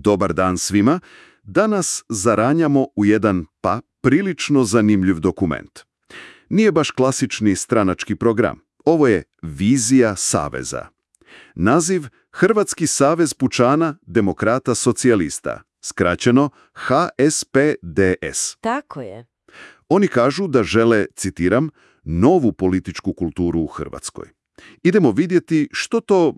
Dobar dan svima. Danas zaranjamo u jedan, prilično zanimljiv dokument. Nije baš klasični stranački program. Ovo je vizija saveza. Naziv Hrvatski savez pučana, demokrata, socijalista, skraćeno HSPDS. Tako je. Oni kažu da žele, citiram, novu političku kulturu u Hrvatskoj. Idemo vidjeti što to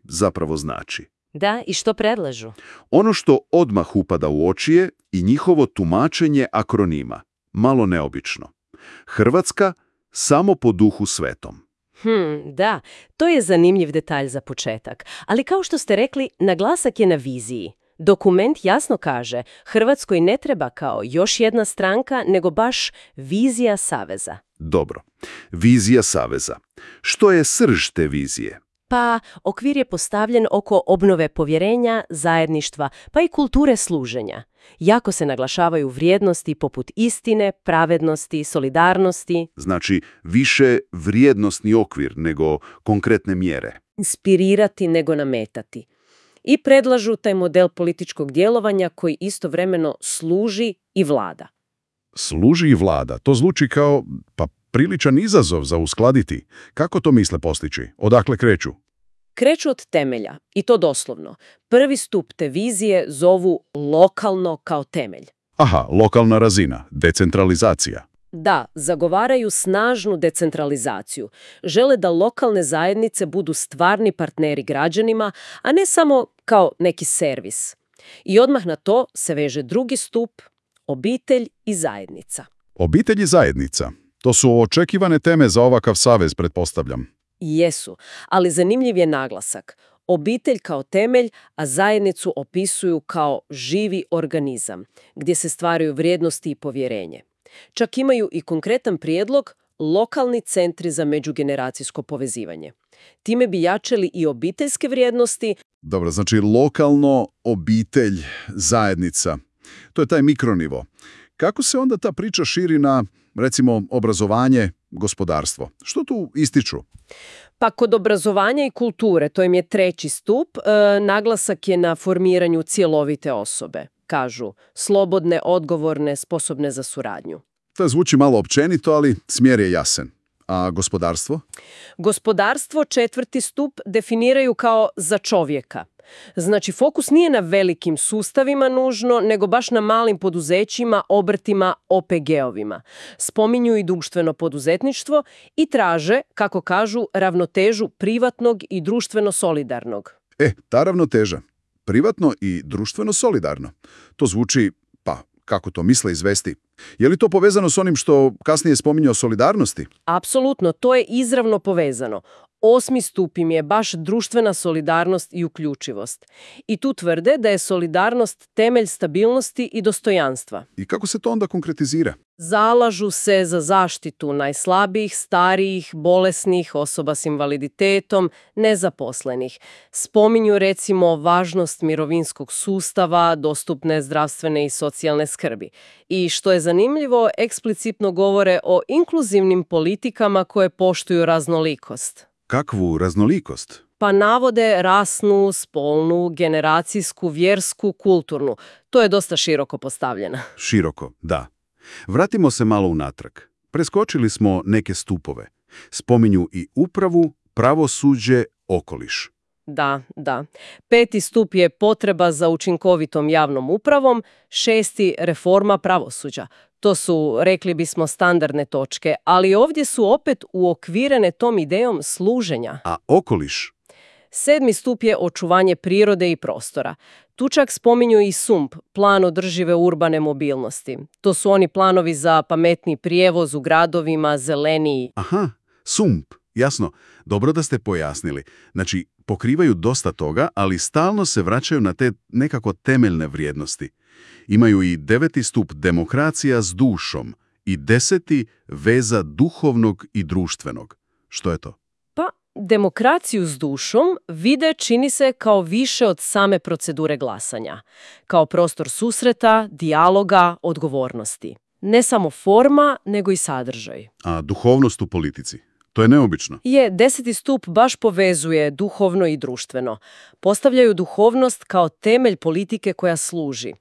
zapravo znači. Da, i što predlažu? Ono što odmah upada u oči je i njihovo tumačenje akronima. Malo neobično. Hrvatska samo po duhu svetom. Da, to je zanimljiv detalj za početak. Ali kao što ste rekli, naglasak je na viziji. Dokument jasno kaže, Hrvatskoj ne treba kao još jedna stranka, nego baš vizija saveza. Dobro. Vizija saveza. Što je srž te vizije? Pa, okvir je postavljen oko obnove povjerenja, zajedništva, pa i kulture služenja. Jako se naglašavaju vrijednosti poput istine, pravednosti, solidarnosti. Znači, više vrijednosni okvir nego konkretne mjere. Inspirirati nego nametati. I predlažu taj model političkog djelovanja koji istovremeno služi i vlada. Služi i vlada. To zvuči kao, priličan izazov za uskladiti. Kako to misle postići? Odakle kreću? Kreću od temelja, i to doslovno. Prvi stup te vizije zovu lokalno kao temelj. Aha, lokalna razina, decentralizacija. Da, zagovaraju snažnu decentralizaciju. Žele da lokalne zajednice budu stvarni partneri građanima, a ne samo kao neki servis. I odmah na to se veže drugi stup, obitelj i zajednica. Obitelj i zajednica. To su očekivane teme za ovakav savez, pretpostavljam. Jesu, ali zanimljiv je naglasak. Obitelj kao temelj, a zajednicu opisuju kao živi organizam, gdje se stvaraju vrijednosti i povjerenje. Čak imaju i konkretan prijedlog lokalni centri za međugeneracijsko povezivanje. Time bi jačali i obiteljske vrijednosti. Dobro, znači lokalno, obitelj, zajednica. To je taj mikronivo. Kako se onda ta priča širi na, recimo, obrazovanje, gospodarstvo? Što tu ističu? Pa kod obrazovanja i kulture, to im je treći stup, naglasak je na formiranju cjelovite osobe. Kažu, slobodne, odgovorne, sposobne za suradnju. To zvuči malo općenito, ali smjer je jasan. A gospodarstvo? Gospodarstvo, četvrti stup, definiraju kao za čovjeka. Znači, fokus nije na velikim sustavima nužno, nego baš na malim poduzećima, obrtima, OPG-ovima. Spominju i društveno poduzetništvo i traže, kako kažu, ravnotežu privatnog i društveno solidarnog. Ta ravnoteža. Privatno i društveno solidarno. To zvuči, kako to misle izvesti? Je li to povezano s onim što kasnije spominje o solidarnosti? Apsolutno, to je izravno povezano. 8. stup im je baš društvena solidarnost i uključivost. I tu tvrde da je solidarnost temelj stabilnosti i dostojanstva. I kako se to onda konkretizira? Zalažu se za zaštitu najslabijih, starijih, bolesnih, osoba s invaliditetom, nezaposlenih. Spominju recimo važnost mirovinskog sustava, dostupne zdravstvene i socijalne skrbi. I što je zanimljivo, eksplicitno govore o inkluzivnim politikama koje poštuju raznolikost. Kakvu raznolikost? Pa navode rasnu, spolnu, generacijsku, vjersku, kulturnu. To je dosta široko postavljeno. Široko, da. Vratimo se malo unatrag. Preskočili smo neke stupove. Spominju i upravu, pravosuđe, okoliš. Da. 5. stup je potreba za učinkovitom javnom upravom, 6. reforma pravosuđa. To su, rekli bismo, standardne točke, ali ovdje su opet uokvirene tom idejom služenja. A okoliš? 7. stup je očuvanje prirode i prostora. Tu čak spominju i SUMP, plan održive urbane mobilnosti. To su oni planovi za pametni prijevoz u gradovima, zeleniji. Aha, SUMP, jasno. Dobro da ste pojasnili. Znači, pokrivaju dosta toga, ali stalno se vraćaju na te nekako temeljne vrijednosti. Imaju i 9. stup demokracija s dušom i 10. veza duhovnog i društvenog. Što je to? Pa, demokraciju s dušom vide, čini se, kao više od same procedure glasanja. Kao prostor susreta, dijaloga, odgovornosti. Ne samo forma, nego i sadržaj. A duhovnost u politici? To je neobično. Je, 10. stup baš povezuje duhovno i društveno. Postavljaju duhovnost kao temelj politike koja služi,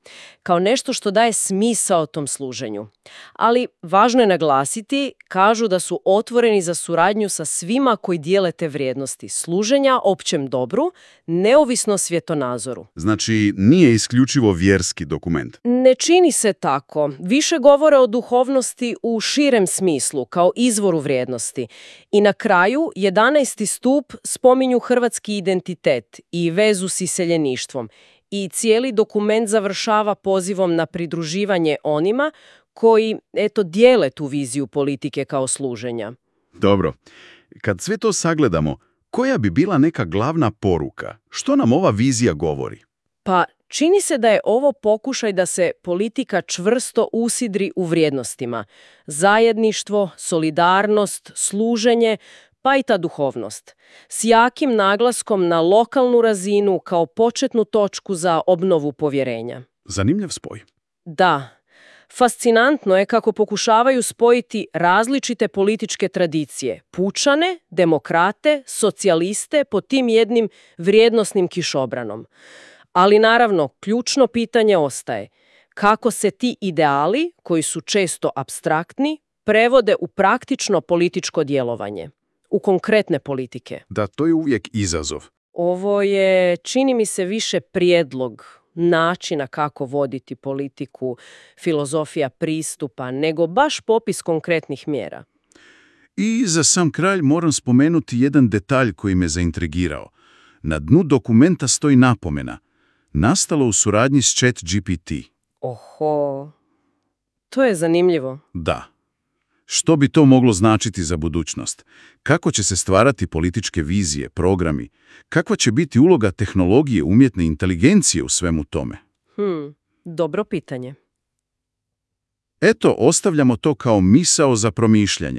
kao nešto što daje smisao tom služenju. Ali važno je naglasiti, kažu da su otvoreni za suradnju sa svima koji dijele te vrijednosti služenja općem dobru, neovisno o svjetonazoru. Znači, nije isključivo vjerski dokument. Ne čini se tako. Više govore o duhovnosti u širem smislu, kao izvoru vrijednosti. I na kraju, 11. stup spominju hrvatski identitet i vezu s iseljeništvom. I cijeli dokument završava pozivom na pridruživanje onima koji, dijele tu viziju politike kao služenja. Dobro. Kad sve to sagledamo, koja bi bila neka glavna poruka? Što nam ova vizija govori? Pa čini se da je ovo pokušaj da se politika čvrsto usidri u vrijednostima. Zajedništvo, solidarnost, služenje, pa i ta duhovnost. S jakim naglaskom na lokalnu razinu kao početnu točku za obnovu povjerenja. Zanimljiv spoj. Da. Fascinantno je kako pokušavaju spojiti različite političke tradicije, pučane, demokrate, socijaliste pod tim jednim vrijednosnim kišobranom. Ali naravno, ključno pitanje ostaje kako se ti ideali, koji su često apstraktni, prevode u praktično političko djelovanje, u konkretne politike. Da, to je uvijek izazov. Ovo je, čini mi se, više prijedlog načina kako voditi politiku, filozofija pristupa, nego baš popis konkretnih mjera. I za sam kraj moram spomenuti jedan detalj koji me zaintrigirao. Na dnu dokumenta stoji napomena. Nastalo u suradnji s ChatGPT. Oho, to je zanimljivo. Da. Što bi to moglo značiti za budućnost? Kako će se stvarati političke vizije, programi? Kakva će biti uloga tehnologije, umjetne inteligencije u svemu tome? Dobro pitanje. Eto, ostavljamo to kao misao za promišljanje.